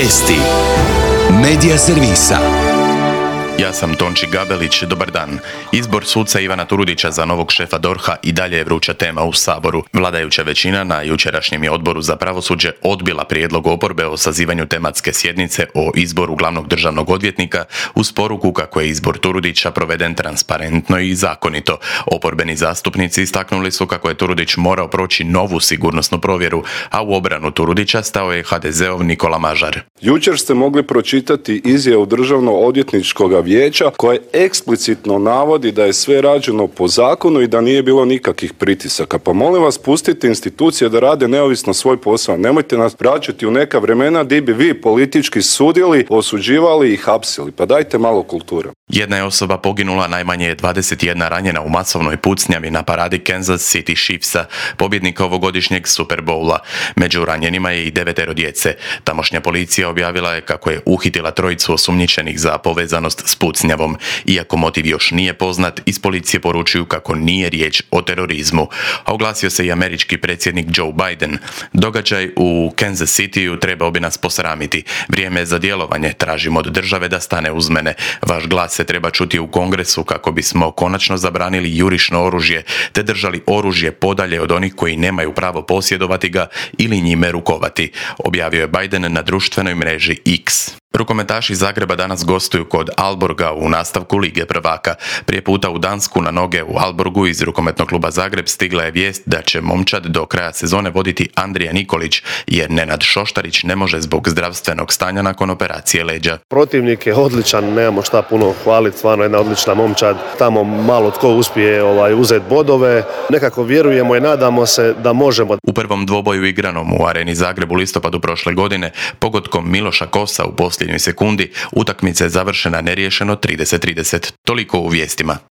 Vijesti Medija servisa. Ja sam Tonči Gabelić, dobar dan. Izbor suca Ivana Turudića za novog šefa DORH-a i dalje je vruća tema u Saboru. Vladajuća većina na jučerašnjem je odboru za pravosuđe odbila prijedlog oporbe o sazivanju tematske sjednice o izboru glavnog državnog odvjetnika uz poruku kako je izbor Turudića proveden transparentno i zakonito. Oporbeni zastupnici istaknuli su kako je Turudić morao proći novu sigurnosnu provjeru, a u obranu Turudića stao je HDZ-ov Nikola Mažar. Jučer ste mogli pročitati izjavu Državno-odvjetničkog vijeća koja eksplicitno navodi da je sve rađeno po zakonu i da nije bilo nikakvih pritisaka. Pa molim vas, pustite institucije da rade neovisno svoj posao. Nemojte nas vraćati u neka vremena gdje bi vi politički sudili, osuđivali i hapsili. Pa dajte malo kulture. Jedna je osoba poginula, najmanje je 21 ranjena u masovnoj pucnjavi na paradi Kansas City Chiefsa, pobjednika ovogodišnjeg Super Bowla. Među ranjenima je i 9 djece. Tamošnja policija objavila je kako je uhitila trojicu osumnjičenih za povezanost s pucnjavom. Iako motiv još nije poznat, iz policije poručuju kako nije riječ o terorizmu. A oglasio se i američki predsjednik Joe Biden. Događaj u Kansas Cityu trebao bi nas posramiti. Vrijeme je za djelovanje, tražimo od države da stane uz mene. Vaš glas se treba čuti u Kongresu kako bismo konačno zabranili jurišno oružje te držali oružje podalje od onih koji nemaju pravo posjedovati ga ili njime rukovati, objavio je Biden na društvenoj mreži X. Rukometaši Zagreba danas gostuju kod Aalborga u nastavku Lige prvaka. Prije puta u Dansku na noge u Aalborgu iz rukometnog kluba Zagreb stigla je vijest da će momčad do kraja sezone voditi Andrija Nikolić, jer Nenad Šoštarić ne može zbog zdravstvenog stanja nakon operacije leđa. Protivnik je odličan, nemamo šta puno hvaliti, stvarno jedna odlična momčad. Tamo malo tko uspije uzeti bodove. Nekako vjerujemo i nadamo se da možemo. U prvom dvoboju igranom u Areni Zagreb u listopadu prošle godine, pogodkom Miloša Kosa u posljednjoj sekundi, utakmica je završena neriješeno 30-30. Toliko u vijestima.